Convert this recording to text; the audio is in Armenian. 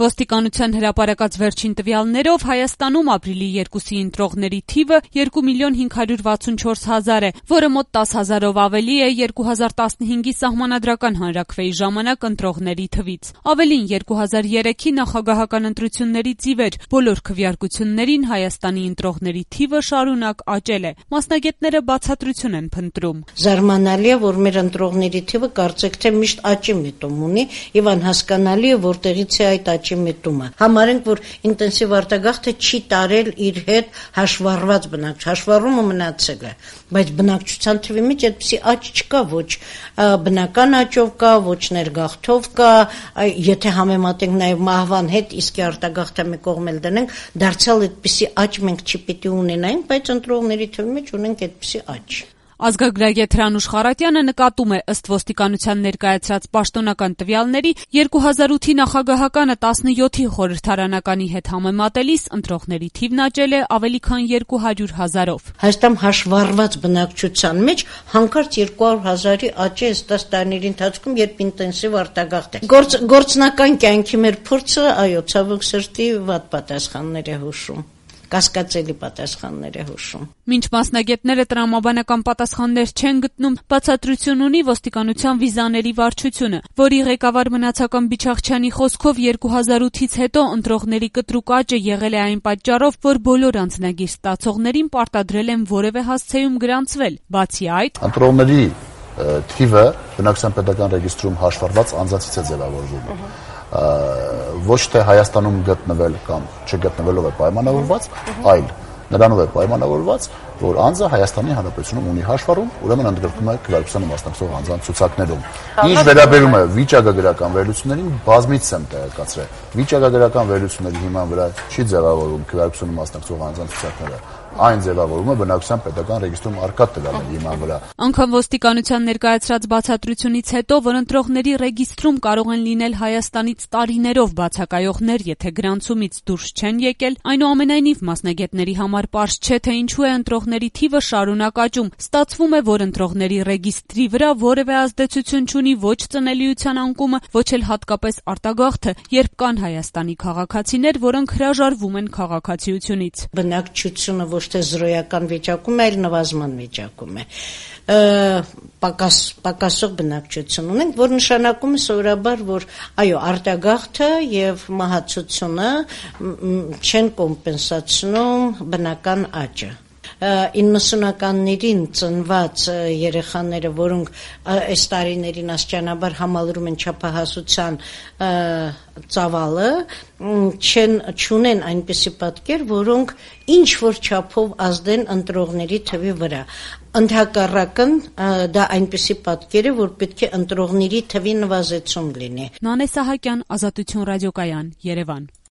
Ոստիկանության հրապարակած վերջին տվյալներով Հայաստանում ապրիլի 2-ի ընտրողների թիվը 2.564.000 է, որը մոտ 10,000-ով ավելի է 2015-ի սահմանադրական հանրաքվեի ժամանակ ընտրողների թվից։ Ավելին 2003-ի նախագահական ընտրություններից ի վեր բոլոր քվեարկություններին Հայաստանի ընտրողների թիվը շարունակ աճել է։ Մասնագետները բացատրություն են փնտրում։ Զարմանալի է, որ մեր ընտրողների թիվը կարծեք թե միշտ աճի միտում ունի, եւ անհասկանալի է, որտեղից է այդ աճի միտումը։ Համարենք, որ ինտենսիվ արտագաղթը չի տարել իր հետ հաշվառված բնակչություն, հաշվառումը մնացել է, բայց բնակչության թվի մեջ այդպիսի աճ չկա, ոչ բնական աճով կա, ոչ ներգաղթով կա, եթե համեմատենք նաև մահվան հետ, իսկ արտագաղթը մի կողմ էլ դնենք, դարձյալ այդպիսի աճ մենք չպիտի ունենայինք, բայց ընտրողների թվի մեջ ունենք այդպիսի աճ։ Ազգագրագետ Հրանուշ Խարատյանը նկատում է, ըստ ոստիկանության ներկայացրած պաշտոնական տվյալների, 2008-ի նախագահականը 17-ի խորհրդարանականի հետ համեմատելիս ընտրողների թիվն աճել է ավելի քան 200,000-ով։ Հայաստան հաշվառված բնակչության մեջ հանկարծ 200,000-ի աճ է 10 տարիների ընթացքում, երբ ինտենսիվ արտագաղթ է։ Գործնական կյանքի մեր փորձը, այո, ցավոք սրտի վատ պատասխաններ է հուշում։ Կասկածելի պատասխաններ է հուշում։ Մինչ մասնագետները տրամաբանական պատասխաններ չեն գտնում, բացատրություն ունի ոստիկանության վիզաների վարչությունը, որի ղեկավար Մնացական Բիչախչյանի խոսքով 2008-ից հետո ընտրողների կտրուկ աճը եղել է այն պատճառով, որ բոլոր անձնագիր ստացողներին պարտադրել են որևէ հասցեում գրանցվել։ Բացի այդ, ընտրողների թիվը բնակչության պետական ռեգիստրում հաշվառված անձանցից է ձևավորվում։ Ոչ թե Հայաստանում գտնվել կամ չգտնվելով է պայմանավորված, այլ նրանով է պայմանավորված, որ անձը Հայաստանի Հանրապետությունում ունի հաշվառում, ուրեմն ընդգրկում է քվեարկությանը մասնակցող անձանց ցուցակներում։ Ինչ վերաբերում է վիճակագրական վերլուծություններին, բազմիցս եմ տեղեկացրել։ Վիճակագրական վերլուծությունների հիման վրա չի ձևավորվում քվեարկությանը մասնակցող անձանց ցուցակները։ Այն ձևավորում է բնակչության պետական ռեգիստրում առկա տվյալների հիման վրա։ Անկամ ոստիկանության ներկայացրած բացատրությունից հետո, որ ընտրողների ռեգիստրում կարող են լինել Հայաստանից տարիներով բացակայողներ, եթե գրանցումից դուրս չեն եկել, այնուամենայնիվ մասնագետների համար պարզ չէ, թե ինչու է ընտրողների թիվը շարունակ աճում։ Ստացվում է, որ ընտրողների ռեգիստրի վրա որևէ ազդեցություն չունի ոչ ծնելիության անկումը, ոչ էլ հատկապես արտագաղթը, երբ կան Հայաստանի քաղաքացիներ, որոնք հրաժարվում են քաղաքացիությունից։ Բնակչությունը ոչ թե զրոյական վիճակում է, այլ նվազման վիճակում է։ Պակասող բնակչություն ունենք, որ նշանակում է սովորաբար, որ այո, արտագաղթը եւ մահացությունը չեն կոմպենսացնում բնական աճը։ 90-ականներին ծնված երեխաները, որոնք այս տարիներին աստիճանաբար համալրում են չափահասության ծավալը, չունեն այնպիսի պատկեր, որոնք ինչ-որ չափով ազդեն ընտրողների թվի վրա։ Ընդհակառակն դա այնպիսի պատկեր է, որ պետք է ընտրողների թվի նվազեցում լինի։ Նանե Սահակյան, Ազատություն ռադիոկայան, Երևան։